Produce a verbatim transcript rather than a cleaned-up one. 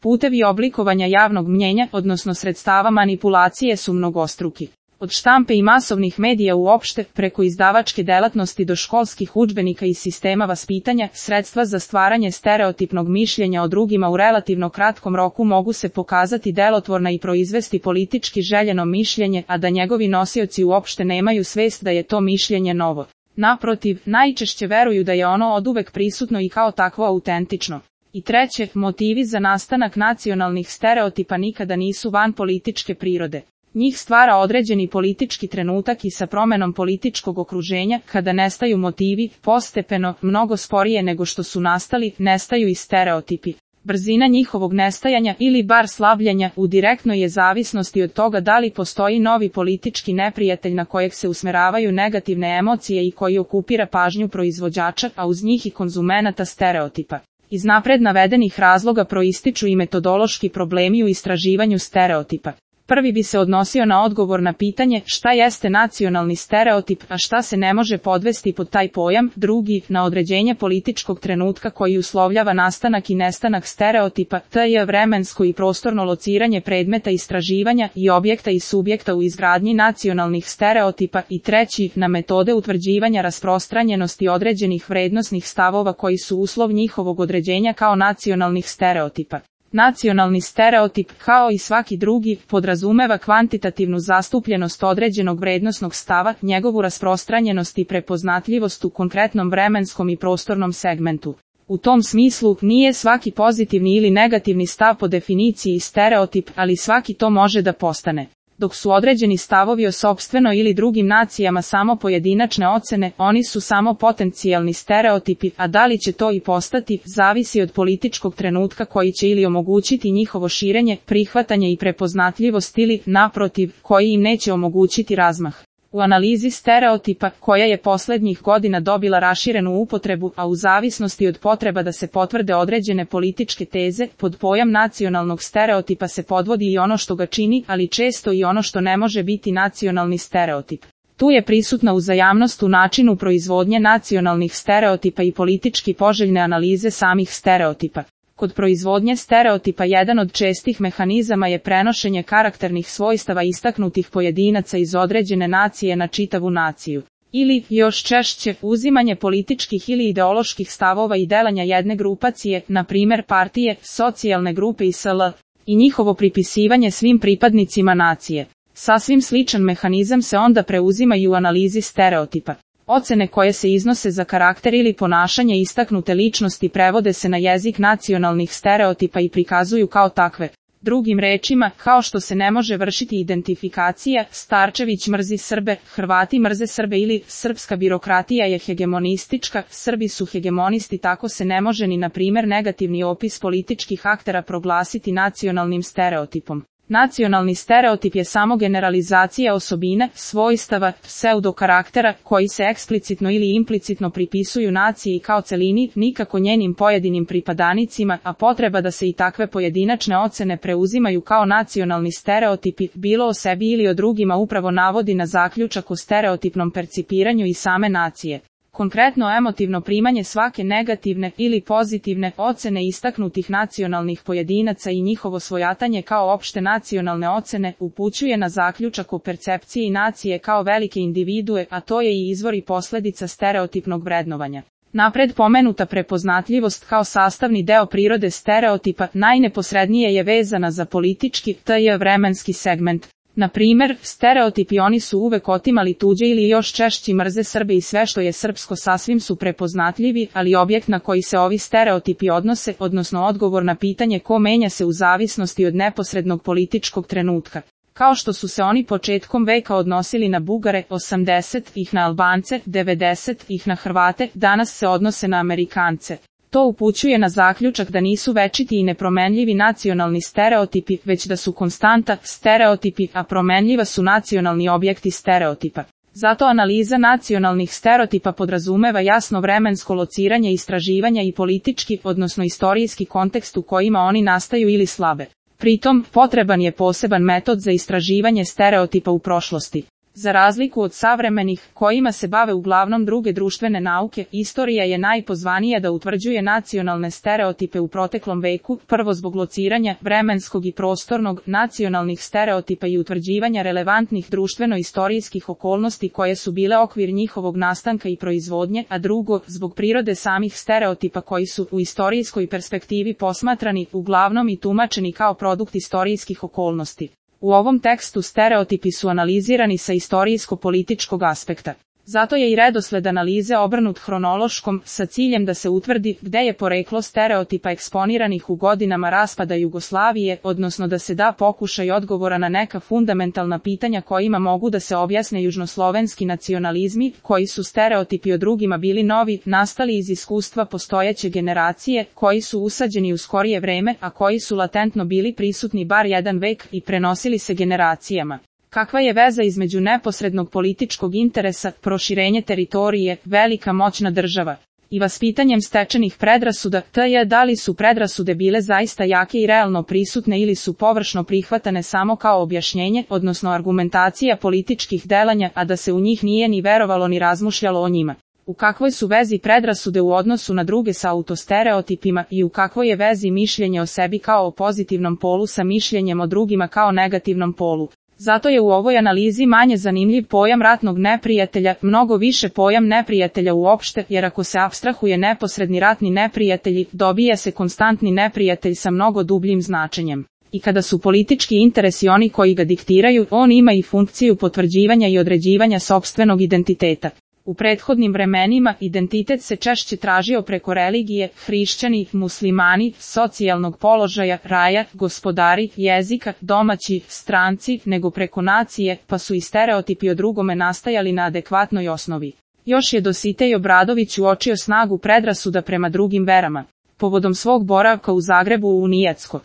putevi oblikovanja javnog mnjenja, odnosno sredstava manipulacije su mnogostruki. Od štampe i masovnih medija uopšte, preko izdavačke delatnosti do školskih udžbenika i sistema vaspitanja, sredstva za stvaranje stereotipnog mišljenja o drugima u relativno kratkom roku mogu se pokazati delotvorna i proizvesti politički željeno mišljenje, a da njegovi nosioci uopšte nemaju svest da je to mišljenje novo. Naprotiv, najčešće veruju da je ono oduvek prisutno i kao takvo autentično. I treće, motivi za nastanak nacionalnih stereotipa nikada nisu van političke prirode. Njih stvara određeni politički trenutak i sa promenom političkog okruženja, kada nestaju motivi, postepeno, mnogo sporije nego što su nastali, nestaju i stereotipi. Brzina njihovog nestajanja ili bar slabljenja u direktnoj je zavisnosti od toga da li postoji novi politički neprijatelj na kojeg se usmeravaju negativne emocije i koji okupira pažnju proizvođača, a uz njih i konzumenata stereotipa. Iz napred navedenih razloga proističu i metodološki problemi u istraživanju stereotipa. Prvi bi se odnosio na odgovor na pitanje šta jeste nacionalni stereotip, a šta se ne može podvesti pod taj pojam, drugi, na određenje političkog trenutka koji uslovljava nastanak i nestanak stereotipa, te je vremensko i prostorno lociranje predmeta istraživanja i objekta i subjekta u izgradnji nacionalnih stereotipa i treći, na metode utvrđivanja rasprostranjenosti određenih vrednosnih stavova koji su uslov njihovog određenja kao nacionalnih stereotipa. Nacionalni stereotip, kao i svaki drugi, podrazumeva kvantitativnu zastupljenost određenog vrednosnog stava, njegovu rasprostranjenost i prepoznatljivost u konkretnom vremenskom i prostornom segmentu. U tom smislu, nije svaki pozitivni ili negativni stav po definiciji stereotip, ali svaki to može da postane. Dok su određeni stavovi o sopstvenoj ili drugim nacijama samo pojedinačne ocene, oni su samo potencijalni stereotipi, a da li će to i postati, zavisi od političkog trenutka koji će ili omogućiti njihovo širenje, prihvatanje i prepoznatljivost ili, naprotiv, koji im neće omogućiti razmah. U analizi stereotipa, koja je poslednjih godina dobila raširenu upotrebu, a u zavisnosti od potreba da se potvrde određene političke teze, pod pojam nacionalnog stereotipa se podvodi i ono što ga čini, ali često i ono što ne može biti nacionalni stereotip. Tu je prisutna uzajamnost u načinu proizvodnje nacionalnih stereotipa i politički poželjne analize samih stereotipa. Kod proizvodnje stereotipa jedan od čestih mehanizama je prenošenje karakternih svojstava istaknutih pojedinaca iz određene nacije na čitavu naciju. Ili, još češće, uzimanje političkih ili ideoloških stavova i delanja jedne grupacije, na primjer partije, socijalne grupe i sl. I njihovo pripisivanje svim pripadnicima nacije. Sasvim sličan mehanizam se onda preuzima i u analizi stereotipa. Ocene koje se iznose za karakter ili ponašanje istaknute ličnosti prevode se na jezik nacionalnih stereotipa i prikazuju kao takve. Drugim rečima, kao što se ne može vršiti identifikacija, Starčević mrzi Srbe, Hrvati mrze Srbe ili srpska birokratija je hegemonistička, Srbi su hegemonisti, tako se ne može ni na primjer negativni opis političkih aktera proglasiti nacionalnim stereotipom. Nacionalni stereotip je samo generalizacija osobine, svojstava, pseudokaraktera, koji se eksplicitno ili implicitno pripisuju naciji kao celini, nikako njenim pojedinim pripadanicima, a potreba da se i takve pojedinačne ocene preuzimaju kao nacionalni stereotipi, bilo o sebi ili o drugima, upravo navodi na zaključak o stereotipnom percipiranju i same nacije. Konkretno emotivno primanje svake negativne ili pozitivne ocene istaknutih nacionalnih pojedinaca i njihovo svojatanje kao opšte nacionalne ocene upućuje na zaključak o percepciji nacije kao velike individue, a to je i izvor i posledica stereotipnog vrednovanja. Napred pomenuta prepoznatljivost kao sastavni deo prirode stereotipa najneposrednije je vezana za politički, tj. vremenski segment. Na primjer, stereotipi oni su uvek otimali tuđe ili još češći mrze Srbe i sve što je srpsko sasvim su prepoznatljivi, ali objekt na koji se ovi stereotipi odnose, odnosno odgovor na pitanje ko menja se u zavisnosti od neposrednog političkog trenutka. Kao što su se oni početkom veka odnosili na Bugare, osamdeset ih na Albance, devedeset ih na Hrvate, danas se odnose na Amerikance. To upućuje na zaključak da nisu večiti i nepromenljivi nacionalni stereotipi, već da su konstanta stereotipi, a promenljiva su nacionalni objekti stereotipa. Zato analiza nacionalnih stereotipa podrazumeva jasno vremensko lociranje istraživanja i politički, odnosno istorijski kontekst u kojima oni nastaju ili slabe. Pritom, potreban je poseban metod za istraživanje stereotipa u prošlosti. Za razliku od savremenih, kojima se bave uglavnom druge društvene nauke, istorija je najpozvanija da utvrđuje nacionalne stereotipe u proteklom veku, prvo zbog lociranja vremenskog i prostornog, nacionalnih stereotipa i utvrđivanja relevantnih društveno-istorijskih okolnosti koje su bile okvir njihovog nastanka i proizvodnje, a drugo, zbog prirode samih stereotipa koji su u istorijskoj perspektivi posmatrani, uglavnom i tumačeni kao produkt istorijskih okolnosti. U ovom tekstu stereotipi su analizirani sa istorijsko-političkog aspekta. Zato je i redosled analize obrnut hronološkom, sa ciljem da se utvrdi gde je poreklo stereotipa eksponiranih u godinama raspada Jugoslavije, odnosno da se da pokušaj odgovora na neka fundamentalna pitanja kojima mogu da se objasne južnoslovenski nacionalizmi, koji su stereotipi o drugima bili novi, nastali iz iskustva postojeće generacije, koji su usađeni u skorije vreme, a koji su latentno bili prisutni bar jedan vek i prenosili se generacijama. Kakva je veza između neposrednog političkog interesa, proširenje teritorije, velika moćna država i vaspitanjem stečenih predrasuda, tj. da li su predrasude bile zaista jake i realno prisutne ili su površno prihvatane samo kao objašnjenje, odnosno argumentacija političkih delanja, a da se u njih nije ni verovalo ni razmišljalo o njima. U kakvoj su vezi predrasude u odnosu na druge sa autostereotipima i u kakvoj je vezi mišljenje o sebi kao o pozitivnom polu sa mišljenjem o drugima kao negativnom polu. Zato je u ovoj analizi manje zanimljiv pojam ratnog neprijatelja, mnogo više pojam neprijatelja uopšte, jer ako se apstrahuje neposredni ratni neprijatelji, dobija se konstantni neprijatelj sa mnogo dubljim značenjem. I kada su politički interesi oni koji ga diktiraju, on ima i funkciju potvrđivanja i određivanja sopstvenog identiteta. U prethodnim vremenima identitet se češće tražio preko religije, hrišćani, muslimani, socijalnog položaja, raja, gospodari, jezika, domaći, stranci, nego preko nacije, pa su i stereotipi o drugome nastajali na adekvatnoj osnovi. Još je Dositej Obradović uočio snagu predrasuda prema drugim verama. Povodom svog boravka u Zagrebu u Nijecko